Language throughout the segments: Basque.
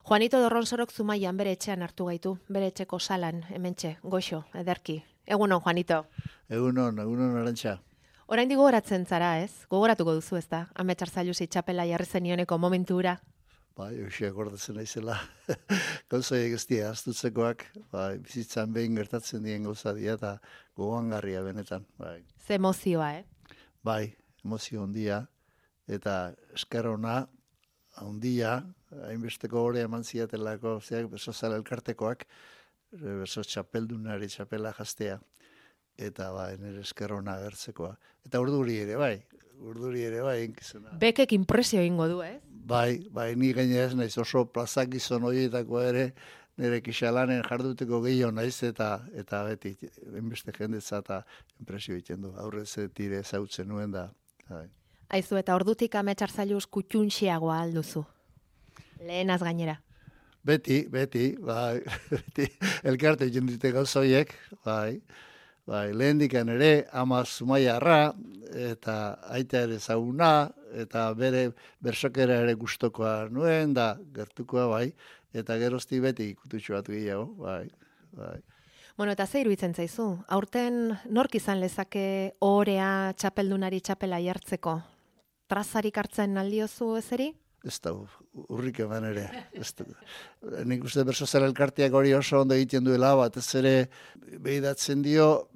Juanito Dorronsorok Zumaian bere etxean hartu gaitu, bere etxeko salan, hementxe, goxo, ederki. Egunon, Juanito. Egunon, Arantxa. Oraindik gogoratzen zara, ez? Gogoratuko duzu, ez da? Amets Arzailuzi txapela jarri zenioneko momentura. Bai, hoxe akordatzen naizela. Gauzaiek ez dira, astutzekoak, bai, bizitzan behin gertatzen dien gauza dira eta gogoangarria benetan. Bai, Ze emozioa, bai, emozio handia eta esker ona handia, hainbesteko hori eman ziatelako, zeak beso zara elkartekoak, beso txapeldunari txapela jastea, eta bai, nire esker ona agertzekoa. Eta urduri ere bai, inkizuna. Bekek impresio egingo du, ez? Bai, ni gaina ez naiz oso plazak gizon horietako ere, nire kixalanen jarduteko gehiago naiz, eta beti, enbeste jendetza eta impresio egiten du. Aurrez tire zautzen nuen da. Bai. Aizu, eta ordutik Amets Arzailuz kutxunxiagoa alduzu. Lehenaz gainera. Beti, bai, beti, elkarte egiten dute gauza horiek, bai, lehendikan ere, ama Zumaiarra, eta aita ere zauna, eta bere bersokera ere gustokoa nuen, da gertukoa, bai, eta gerozti beti ikututxo bat gehiago, bai. Bueno, eta ze iruditzen zaizu? Aurten nork izan lezake ohorea txapeldunari txapela jartzeko? Trazarik hartzen aldiozu ezeri? Ez da, urrik eman ere. Nik uste berso zara elkarteak hori oso ondo egiten duela, bat ez ere behidatzen dio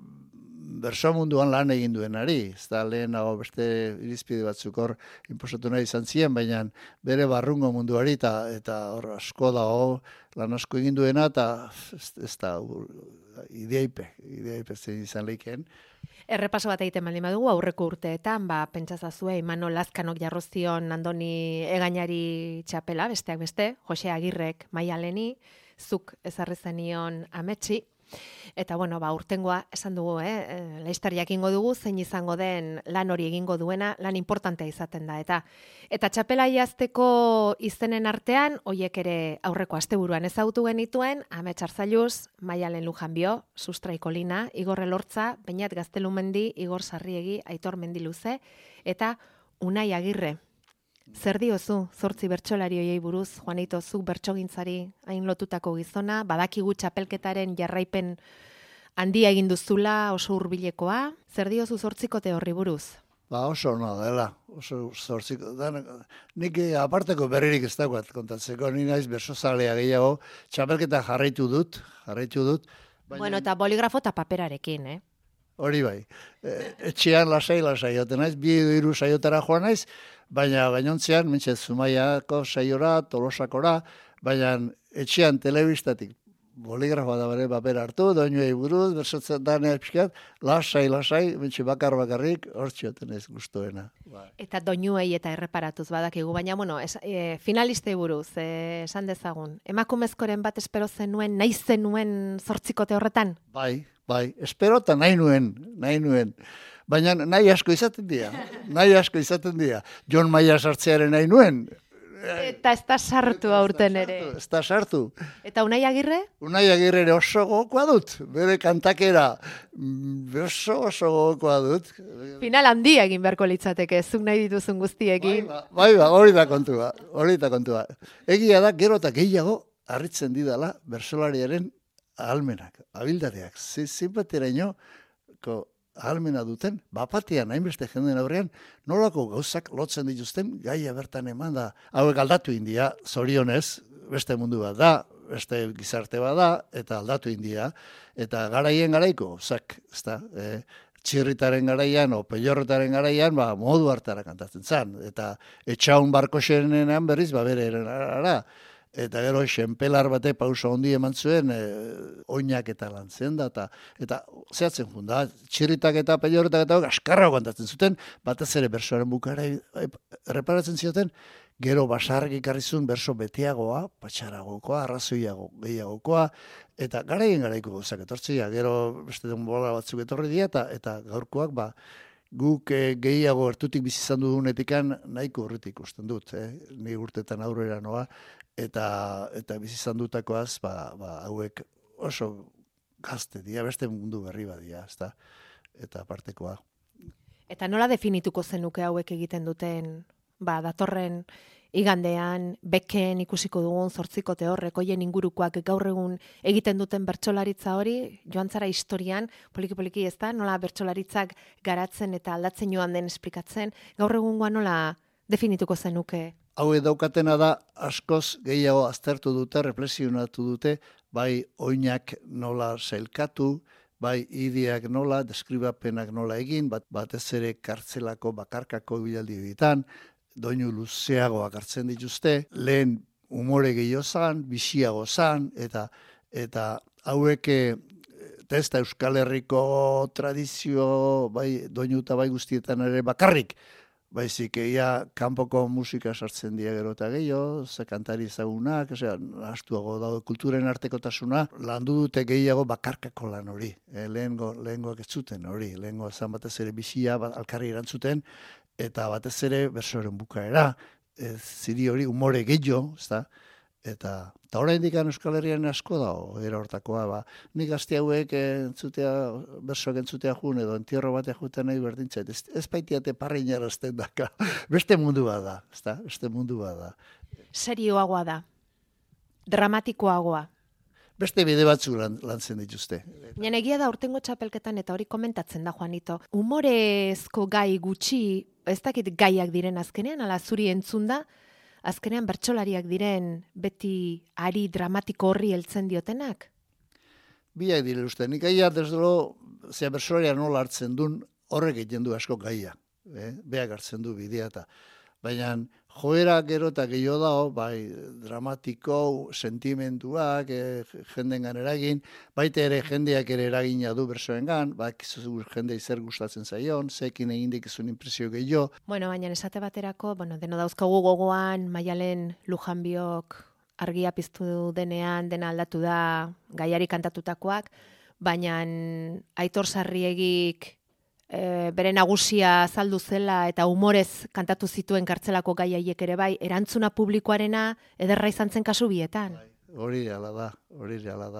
berso munduan lan egin duenari. Ez da lehen beste irizpide batzuk hor inposatu nahi izan ziren, baina bere barrungo munduari eta hor asko da lan asko egin duena, eta ez da ideipe zein izan lehiken. Errepaso bat egiten baldin badugu aurreko urteetan, pentsazazue Imanol Lazkanok jarrozion Andoni Egainari txapela, besteak beste, Jose Agirrek Maialeni, zuk ezarri zenion Ametsi. Eta bueno, urtengoa esan dugu, laiztar jakingo dugu zein izango den lan hori egingo duena, lan importantea izaten da. Eta txapela jazteko izenen artean, hoiek ere aurreko asteburuan ezagutu genituen, Amets Arzailuz, Maialen Lujanbio, Sustrai Kolina, Igor Elortza, Beñat Gaztelumendi, Igor Sarriegi, Aitor Mendiluze, eta Unai Agirre. Zer diozu, 8 bertsolari hoiei buruz, Juanito, zuk bertsogintzari hain lotutako gizona, badakigu txapelketaren jarraipen handia egin duzula, oso hurbilekoa. Zer diozu 8kote horri buruz? Oso ona dela, oso 8. Nik aparteko berririk ez dagoat kontatzeko, ni naiz bersozalea gehiago, txapelketa jarraitu dut. Baina... Bueno, eta boligrafo eta paperarekin, Hori bai, etxean lasai, joten naiz, 2-3 saiotara joan naiz, baina gainontzean, mentxe Zumaiako saiora, Tolosakora, baina etxean telebistatik boligrafoa da bere papera hartu, doinuei buruz, bersotzen danea pixkat, lasai, mentxe bakarrik, hor txioten ez gustoena. Eta doinuei eta erreparatuz badakigu, baina, finalistei buruz, esan dezagun, emakumezkoren bat espero zenuen, nahi zenuen 8kote horretan? Bai, espero eta nahi nuen. Baina nahi asko izaten dira. Jon Maia sartzearen nahi nuen. Eta ez da sartu aurten ere. Ez da sartu. Eta Unai Agirre? Unai Agirre ere oso gogokoa dut. Bere kantakera oso gogokoa dut. Final handia egin beharko litzateke, zuk nahi dituzun guztiekin. Bai, hori da kontua. Egia da, gero eta gehiago harritzen didala bersolariaren ahalmenak, abildadeak, zinbateraino ahalmena duten, bapatean, hainbeste jenden aurrean, nolako gauzak lotzen dituzten, gaia bertan eman da, hauek aldatu india, zorionez, beste mundu bat da, beste gizarte bat da, eta aldatu india, eta garaien garaiko, txirritaren garaian, o pelorretaren garaian, modu hartara kantatzen zen, eta etxaun barko xenean berriz, bere erara, eta gero xenpelar bate pauso handi eman zuen, oinak eta lantzen da, eta zehatzen junda, txirritak eta pelorretak eta askarra kantatzen zuten, batez ere bersoaren bukara erreparatzen zioten, gero basarrik ikarrizun berso beteagoa, patxaragokoa, arrazoiago gehiagokoa, eta garaien garaiko gauzak etortzea, gero beste denbora batzuk etorri dira, eta gaurkoak, guk gehiago ertutik bizizan dudunetikan nahiko horretik ikusten dut, ni urtetan aurrera noa, eta bizizan dutakoaz, hauek oso gazte dira, beste mundu berri badia, eta apartekoa. Eta nola definituko zenuke hauek egiten duten, datorren igandean, beken ikusiko dugun 8 horrek, hoien ingurukoak gaur egun egiten duten bertsolaritza hori, joan zara historian, poliki-poliki ez da, nola bertsolaritzak garatzen eta aldatzen joan den esplikatzen, gaur egungoa nola definituko zenuke? Hau daukatena da, askoz gehiago aztertu dute, reflexionatu dute, bai oinak nola sailkatu, bai ideak nola, deskribapenak nola egin, batez ere kartzelako bakarkako bilaldi egiten, doinu luzeagoak hartzen dituzte, lehen umore gehiago zan, biziago zan, eta hauek ez da Euskal Herriko tradizio, bai doinu eta bai guztietan ere bakarrik, baizik, kanpoko musika sartzen dira gero eta gehiago, ze kantari ezagunak, astuago daude kulturen artekotasuna, landu dute gehiago bakarkako lan hori. Lehengoak ez zuten hori, lehengoa zan batez ere bizia, alkarri erantzuten, eta batez ere bersoren bukaera, ziri hori umore gehiago, ezta? Eta oraindik Euskal Herrian asko dago, era hortakoa, nik gazte hauek bersoak entzutea jun, edo entierro batea juten nahi berdintzait, ez baitiate parriñarazten daka, beste mundu bada, ezta? Beste mundu bada. Serioagoa da, dramatikoagoa. Beste bide batzuk lantzen dituzte. Nien egia da urtengo txapelketan eta hori komentatzen da, Juanito. Humorezko gai gutxi, ez dakit gaiak diren azkenean, ala zuri entzun da, azkenean bertsolariak diren beti ari dramatiko horri heltzen diotenak? Biak dire uste, nik gaia desdolo, bertsolaria nola hartzen duen, horrek egiten du asko gaia. Beak hartzen du bidea eta. Baina joera gero eta gehiago dago, bai dramatiko, sentimenduak, jendengan eragin, baita ere jendeak ere eragina du bersoengan, jende zer gustatzen zaion, zekin egin dikizun impresio gehiago. Bueno, baina esate baterako, deno dauzkagu gogoan, Maialen Lujanbiok argia piztu denean, dena aldatu da gaiari kantatutakoak, baina Aitor Sarriegik bere nagusia azaldu zela eta humorez kantatu zituen kartzelako gai haiek ere bai, erantzuna publikoarena ederra izan zen kasu bietan. Hori reala da, bai, hori reala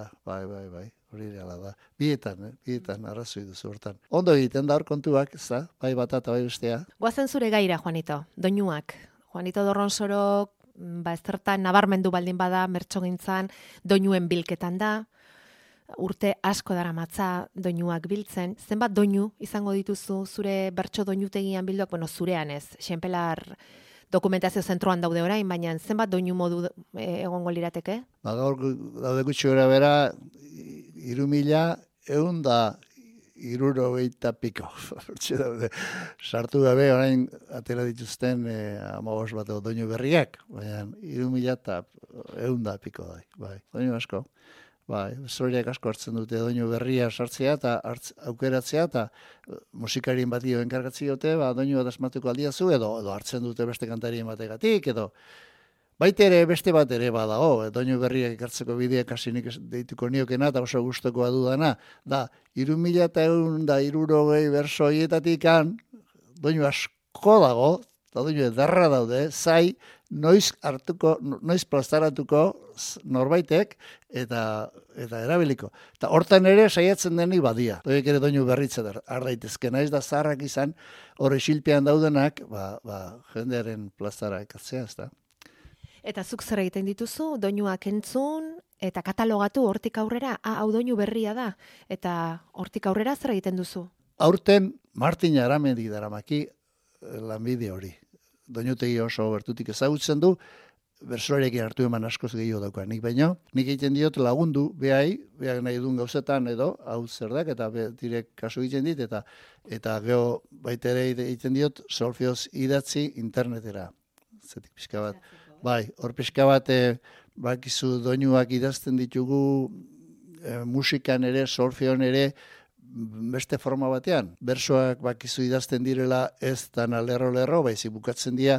da. Bietan arrazoi duzu hortan. Ondo egiten da hor kontuak, bai bata eta bai bestea. Goazen zure gaira, Juanito, doinuak. Juanito Dorronsorok, ezertan nabarmendu baldin bada, mertsogintzan, doinuen bilketan da, urte asko daramatza doinuak biltzen. Zenbat doinu izango dituzu zure bertso doinutegian bilduak? Zurean ez, Xenpelar dokumentazio zentroan daude orain, baina zenbat doinu modu egongo lirateke? Gaur daude gutxi gora bera, 3.160 piko. Sartu gabe orain atera dituzten 15 bat doinu berriak, baina 3.100 piko da, bai, doinu asko. Bai, zoriak asko hartzen dute doinu berria sartzea eta aukeratzea eta musikarien bati enkargatzen dute, doinu bat asmatuko aldiazu edo hartzen dute beste kantarien bategatik edo baita ere beste bat ere badago, doinu berriak ekartzeko bideak hasi nik deituko niokena eta oso gustokoa dudana, da 3.160 berso horietatik doinu asko dago, eta doinu edarra daude, zai, noiz plazaratuko norbaitek eta erabiliko. Eta hortan ere saiatzen denik badia. Doiek ere doinu berritzen ardaitezke. Naiz da zaharrak izan, hori xilpean daudenak, jendearen plazara ekatzea, ez da. Eta zuk zer egiten dituzu, doinuak entzun, eta katalogatu hortik aurrera, hau doinu berria da, eta hortik aurrera zer egiten duzu? Aurten Martin Aramendi daramaki lanbide hori. Doinutegi oso bertutik ezagutzen du, bersoarekin hartu eman askoz gehiago dauka. Nik egiten diot lagundu, beak nahi duen gauzetan edo, hau zer dak, eta direk kasu egiten dit, eta geho baita ere egiten diot solfeoz idatzi internetera. Zetik pixka bat. Bai, hor pixka bat, bakizu doinuak idazten ditugu musikan ere, solfeon ere, beste forma batean. Bersoak bakizu idazten direla ez dana lerro, baizik bukatzen dira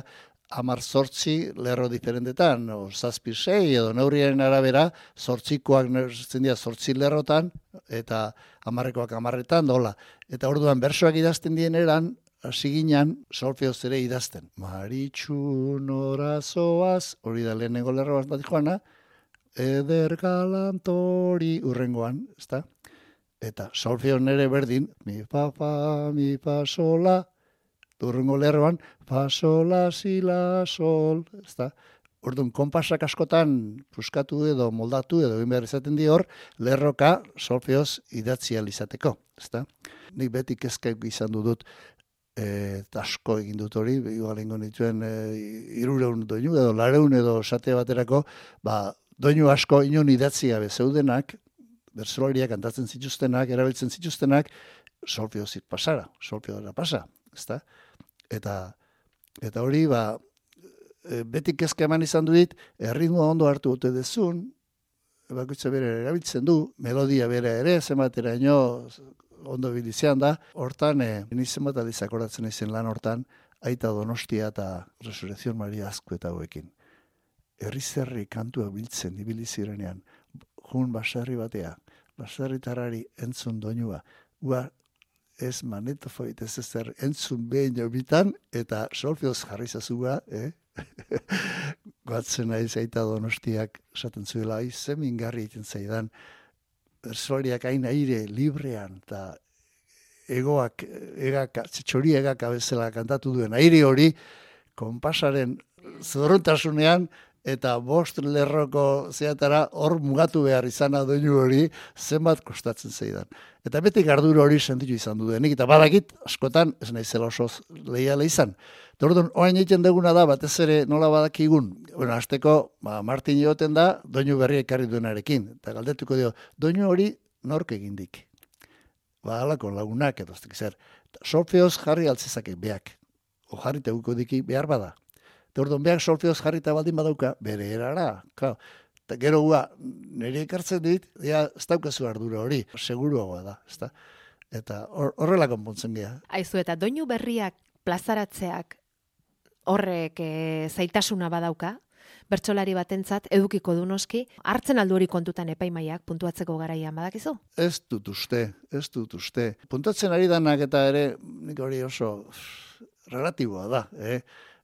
18 lerro diferentetan, 7-6 edo neurriaren arabera, 8koak nertzen dira 8 lerrotan, eta 10koak 10etan, dola. Eta orduan bersoak idazten dien eran, hasi ginen solfeoz ere idazten. Maritxu norazoaz, hori da lehenengo lerro bat joana, eder galantori urrengoan, ezta? Eta solfeon ere berdin, mi pa, sola, Urrengo lerroan, fa, sol, la, si, la, sol, ezta? Orduan, konpasak askotan puskatu edo moldatu edo egin behar izaten di hor, lerroka solfeoz idatzi ahal izateko, ezta? Nik beti kezkak izan dut, eta asko egin dut hori, igual ingo nituen 300 doinu edo 400 edo esate baterako, doinu asko inon idatzi gabe zeudenak, bertsolariak kantatzen zituztenak, erabiltzen zituztenak, solfeozik pasara, solfeora pasa, ezta? Eta hori, beti kezka eman izan du dit, erritmoa ondo hartu ote dezun, bakoitza bere erabiltzen du, melodia bere ere, zenbateraino ondo bilizean da, hortan, nizen bat alizak horatzen izen lan hortan, Aita Donostia eta Resurrección Maria Azkueta hauekin. Herri-zerri kantua biltzen ibilizirenean, jun baserri batea, baserritarrari entzun doinua, ez manetofoit ez ezer entzun behin bitan, eta solfeoz jarri zazua, Goatzen naiz Aita Donostiak esaten zuela, ze mingarri egiten zaidan, bersolariak hain aire librean, eta txori egaka bezala kantatu duen aire hori, konpasaren zorrontasunean, eta 5 lerroko zeatara hor mugatu behar izana doinu hori zenbat kostatzen zeidan. Eta beti gardura hori sentitu izan dudenik, eta badakit askotan ez naizela oso leiala izan. Orduan, orain egiten duguna da, batez ere nola badakigun, hasteko, Martin joten da, doinu berri ekarri duenarekin. Eta galdetuko dio, doinu hori nork egindik. Halako lagunak edo, zer. Solfeoz jarri altzezake beak. O jarri teguko diki behar bada. Eta orduan, beak solfeoz jarrita baldin badauka, bere erara. Eta gero nire ekartzen dit, ez daukazu ardura hori, seguruagoa da. Eta horrela konpontzen geha. Aizu, eta doinu berriak plazaratzeak horrek zaitasuna badauka, bertsolari batentzat edukiko du noski, hartzen aldu hori kontutan epaimaiak puntuatzeko garaian badakizu? Ez dut uste. Puntuatzen ari danak eta ere, nik hori oso relatiboa da.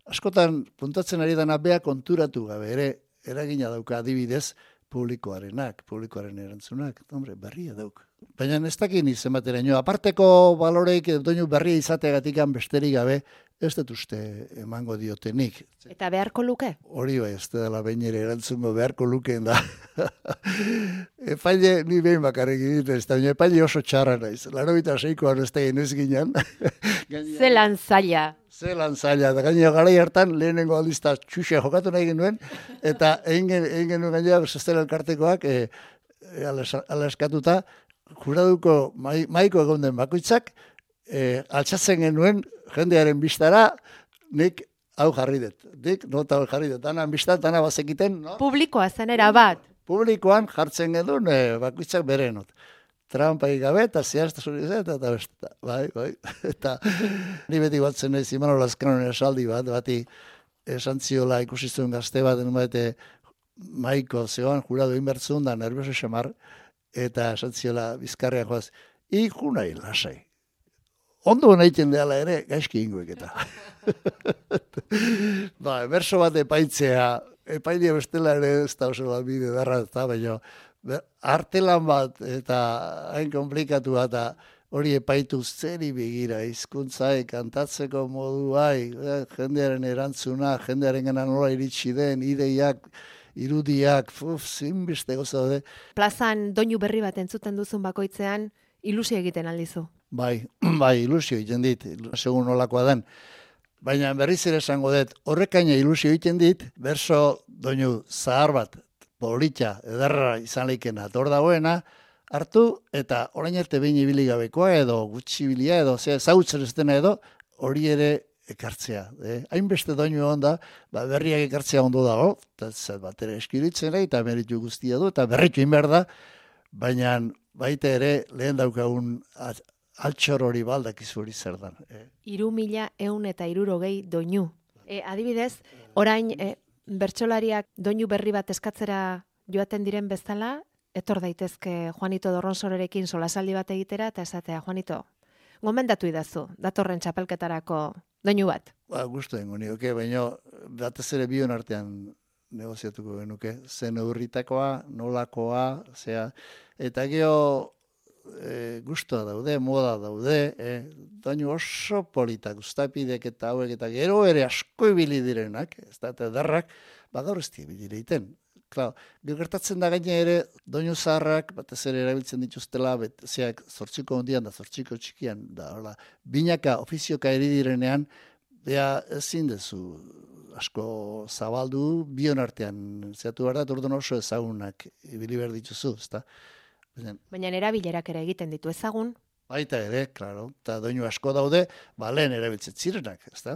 Askotan puntuatzen ari dana bea konturatu gabe ere, eragina dauka adibidez, publikoaren erantzunak, berria dauk. Baina ez dakin izen bateraino, aparteko baloreik doinu berria izateagatik besterik gabe, ez dut uste emango diotenik. Eta beharko luke? Hori bai, ez dela behin ere erantzungo beharko lukeen da. Epaile, ni behin bakarrik egiten ez da, baina epaile oso txarra naiz. 86koan ez da inoiz ginen. Zelan zaila. Da gainera garai hartan lehenengo aldizta txuxea jokatu nahi genuen, eta egin genuen gainera zestela elkartekoak ala eskatuta, juraduko maiko egon den bakoitzak, altxatzen genuen jendearen bistara, nik hau jarri dut. Nota hau jarri dut. Danan biztan, dana bazekiten, no? Publikoa zenera bat. Publikoan jartzen genuen bakoitzak bere not. Trampai gabe eta zehaztasun eta besta. Bai. Eta ni beti batzen nahi Imanol Lazkanoren esaldi bati esan ziola ikusi zuen gazte bat, maiko zegoan jurado inbertzun da nervioso xamar, eta esan ziola bizkarrean joaz, iku nahi lasai. Ondo nahiten dela ere, gaizki ingoek eta. Berso bat epaitzea, epailia bestela ere ez da oso bat bide darra, baina artelan bat eta hain komplikatu bat hori epaitu zeri begira, hizkuntzai, kantatzeko moduai, jendearen erantzuna, jendearen gana nola iritsi den, ideiak, irudiak, zinbeste goza daude. Plazan doinu berri bat entzuten duzun bakoitzean, ilusio egiten aldizu. Bai, ilusio egiten dit, segun nolakoa den. Baina berriz ere esango dut, horrekaina ilusio egiten dit, berso doinu zahar bat, politxa, ederra izan leikena, ator dagoena, hartu eta orain arte behin ibili gabekoa edo gutxi bilia edo zautzen ez dena edo hori ere ekartzea. Hainbeste doinu onda, berriak ekartzea ondo dago, eta bat ere eskiritzen eta meritu guztia du, eta berritu inber da, baina baita ere lehen daukagun altxor hori baldakizu hori zer dan. 3.160 doinu. Adibidez, orain bertsolariak doinu berri bat eskatzera joaten diren bezala, etor daitezke Juanito Dorronsorerekin solasaldi bat egitera, eta esatea, Juanito, gomendatu idazu, datorren txapelketarako doinu bat. Gustu dengo nioke, baina batez ere bion artean negoziatuko genuke, zen eurritakoa, nolakoa, eta geho gustua daude, moda daude, doinu oso politak, ustapidek eta hauek, eta gero ere asko ibili direnak, ez da, eta derrak, gaur ez ibili egiten. Klar, gertatzen da gaine ere, doinu zaharrak, batez ere erabiltzen dituztela, zeak zortziko ondian da zortziko txikian, da, hola, binaka, ofizioka eri direnean, bea ezin dezu asko zabaldu, bion artean, zeatu behar da, orduan oso ezagunak ibili behar dituzu, ez da. Baina erabilerak ere egiten ditu ezagun. Baita ere, klaro, eta doinu asko daude, lehen erabiltzen zirenak, ez da?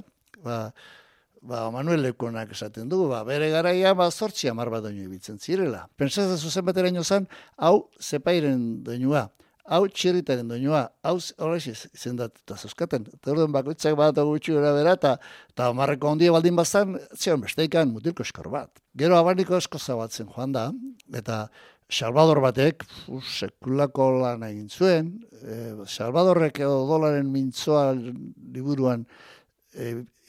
Manuel Leukonak esaten du, bere garaia, 8-10 bat doinu ibiltzen zirela. Pentsatzen zuzen bateraino zen, hau zepairen doinua, hau txirritaren doinua, hau horrex izendatuta zeuskaten. Eta orduan bakoitzak bat gutxi gara bera, eta marreko handia baldin bazan, zion besteikan mutilko eskor bat. Gero abaniko esko zabatzen joan da, eta Salvador batek sekulako lan egin zuen, Salvadorrek odolaren mintzoa liburuan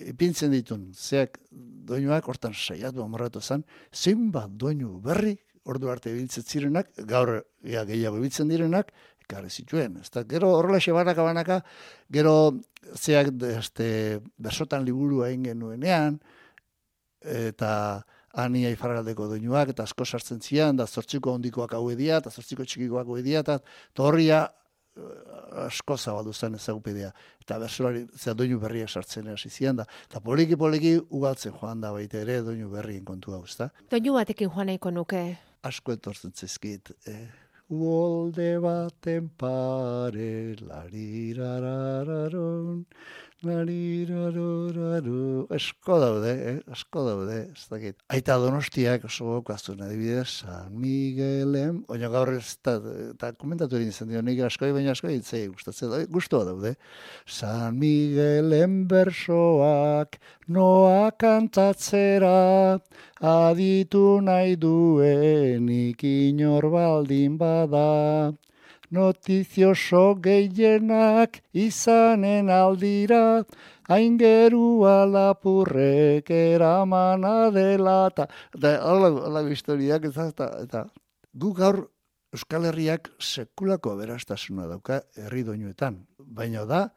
ipintzen ditun, zeak doinuak hortan saiatu amorratu zen, zenbat doinu berri, ordu arte ibiltzen zirenak, gaur gehiago ibiltzen direnak, ekarri zituen. Gero horrela banaka, gero zeak bersotan liburua egin genuenean, eta Ania Ifarraldeko doinuak, eta asko sartzen zian, da zortziko hondikoak hau edia, eta zortziko txikikoak hau edia, eta torria asko zabaldu zen ezagupidea. Eta bersolari, doinu berriak sartzen hasi zian da. Eta poliki ugaltzen joan da baita ere doinu berrien kontu hau, ezta? Doinu batekin joan nahiko nuke. Asko etortzen zizkit. Uolde baten pare, larirarararon, larirarararu. Asko daude, ez dakit. Aita Donostiak oso gokazun, adibidez, San Miguelen, oina gaur ez eta komentatu egin izan dio, nik askoi, baina askoi itzei gustatzen, gustua daude. San Miguelen bersoak, noa kantatzera, aditu nahi duenik inor baldin bada. Notizioso gehienak izanen aldira, aingerua lapurrek eramana dela, eta hola historiak, eta gu gaur Euskal Herriak sekulako aberastasuna dauka herri doinuetan. Baina da,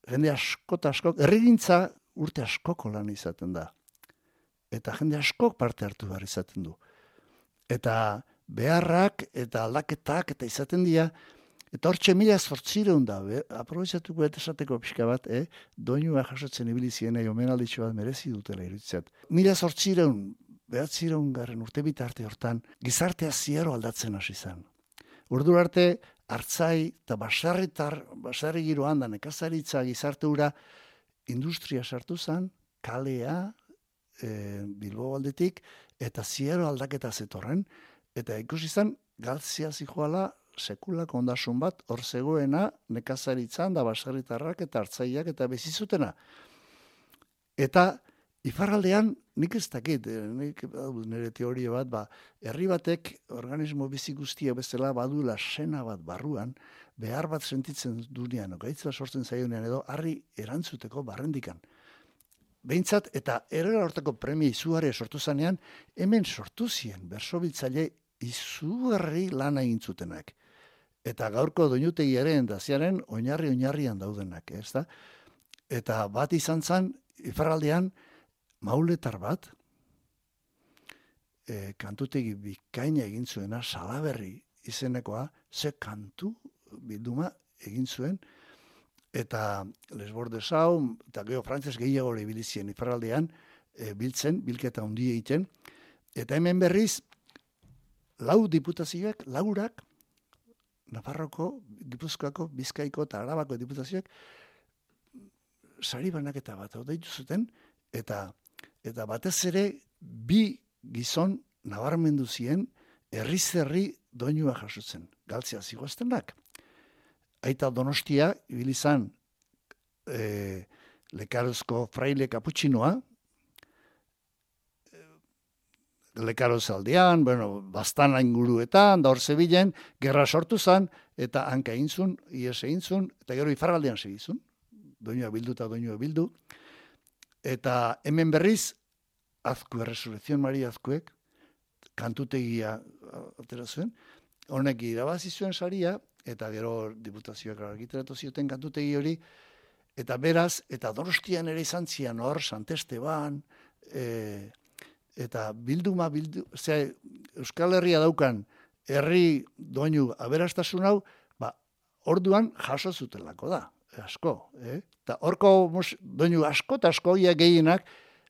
jende asko, herrigintza urte askoko lan izaten da. Eta jende askok parte hartu behar izaten du. Eta beharrak eta aldaketak eta izaten dira, eta hortxe 1800 da, aprobetxatuko eta esateko pixka bat, doinua jasotzen ibili zienei omenalditxo bat merezi dutela iruditzat. 1800, 900 urte bitarte hortan, gizartea ziero aldatzen hasi zen. Urdu arte, hartzai eta basarri giroan da, nekazaritza gizarte hura, industria sartu zen, kalea, Bilbo aldetik, eta ziero aldaketa zetorren, eta ikusi zen, galtzia zijoala sekulako ondasun bat, hor zegoena nekazaritzan da basarritarrak eta hartzaiak eta bezizutena. Eta ifarraldean, nik ez dakit, nire teoria bat, herri batek organismo bizi guztia bezala badula sena bat barruan, behar bat sentitzen dunean, gaitza sortzen zaionean edo, harri erantzuteko barrendikan. Behintzat, eta errera hortako premia izugarria sortu zanean, hemen sortu zien bersobiltzaile izugarri lana egin zutenak. Eta gaurko doinutegiaren daziaren oinarrian daudenak, ez da? Eta bat izan zen, ifarraldean, mauletar bat, kantutegi bikaina egin zuena, Salaberri izenekoa, ze kantu bilduma egin zuen, eta Lesbordes hau, eta geho frantzes gehiago ibilizien ifarraldean, bilketa handia egiten, eta hemen berriz, 4 diputazioak, 4, Nafarroko, Gipuzkoako, Bizkaiko eta Arabako diputazioak, sari banaketa bat deitu zuten, eta batez ere, 2 gizon nabarmendu zien, herri doinua jasotzen, galtzea zigoaztenak. Aita Donostia, ibilizan, Lekarozko fraile kaputxinoa, Lekaroz aldean, bastana inguruetan, da hor zebilen, gerra sortu zan, eta hanka egintzun, ies egintzun, eta gero ifarraldean segizun, doinua bildu, eta hemen berriz, Azkue, Resurrección Maria Azkuek, kantutegia atera zuen, honek irabazi zuen saria, eta gero diputazioak argitaratu zioten kantutegi hori, eta beraz, eta Donostian ere izan zian hor, Sant Esteban, eta Euskal Herria daukan herri doinu aberastasun hau, orduan jaso zutelako da, asko. Eta horko doinu asko eta asko gehienak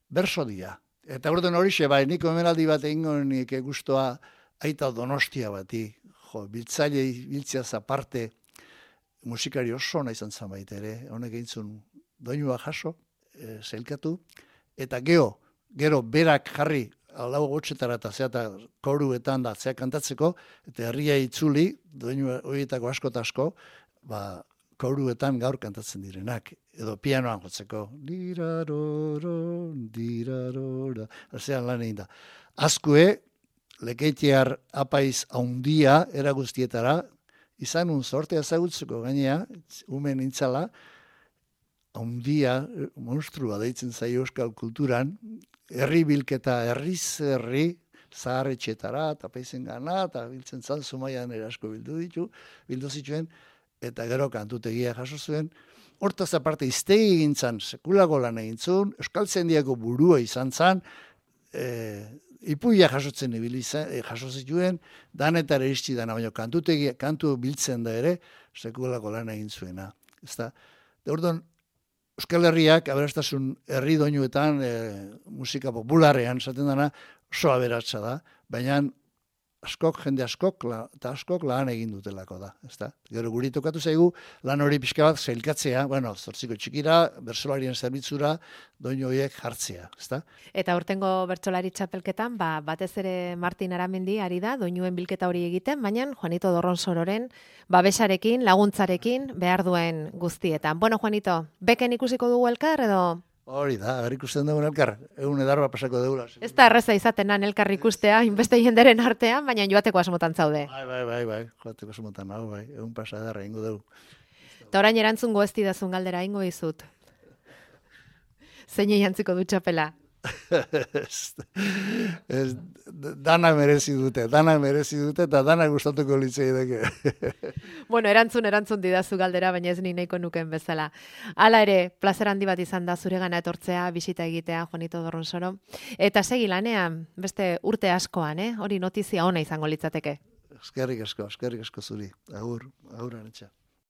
berso dira. Eta orduan horixe, niko emenaldi bat egingo nik guztua aita Donostia bati, biltzaile biltziaz aparte, musikari oso ona izan zen baita ere, honek egintzun doinua jaso, zelkatu, eta gero berak jarri, alau gotxetara eta zeata koruetan da zeak kantatzeko, eta herria itzuli, doinu horietako asko eta asko, koruetan gaur kantatzen direnak, edo pianoan jotzeko, diraroro, dirarora, zean lan egin da. Azkue, Lekeitiar apaiz haundia, era guztietara, izan sortea ezagutzeko gainea, umen intzala, haundia, monstrua deitzen zaio euskal kulturan, herri bilketa herriz herri, zaharretxetara, eta paizen gana, eta biltzen zan, Zumaian erasko bildu zituen, eta gero kantutegia jaso zuen. Hortaz aparte, iztegi gintzan, sekulako lan egintzun, euskal zendiako burua izan zan, ipuia jasotzen jaso zituen, danetara iritsi dana, baina kantu biltzen da ere, sekulako lan egin zuena. Orduan, Euskal Herriak, aberastasun herri doinuetan, musika popularrean, esaten dana, oso aberatsa da, baina jende askok lan egin dutelako da. Gero guri tokatu zaigu, lan hori pixka bat zailkatzea, zortziko txikira, bertsolarien zerbitzura, doinu horiek jartzea. Eta urtengo bertsolari txapelketan, batez ere Martin Aramendi ari da, doinuen bilketa hori egiten, baina Juanito Dorronsororen babesarekin, laguntzarekin, behar duen guztietan. Bueno, Juanito, beken ikusiko dugu elkar edo... Hori da, ikusten dugun elkar, egun edarba pasako dugula. Ez da erreza izatenan elkar ikustea, inbeste jenderen artean, baina joateko asmotan zaude. Bai, joateko asmotan, egun pasa edarra ingo dugu. Eta orain erantzungo ez didazun galdera ingo izut. Zein jantziko du txapela? Dana merezi dute, eta dana gustatuko litzei deke. Bueno, erantzun didazu galdera, baina ez ni nahiko nuken bezala. Hala ere, plazer handi bat izan da zuregana etortzea, bisita egitea, Juanito Dorronsoro. Eta segi lanean, beste urte askoan, hori notizia ona izango litzateke. Eskerrik asko zuri. Agur, anetxa.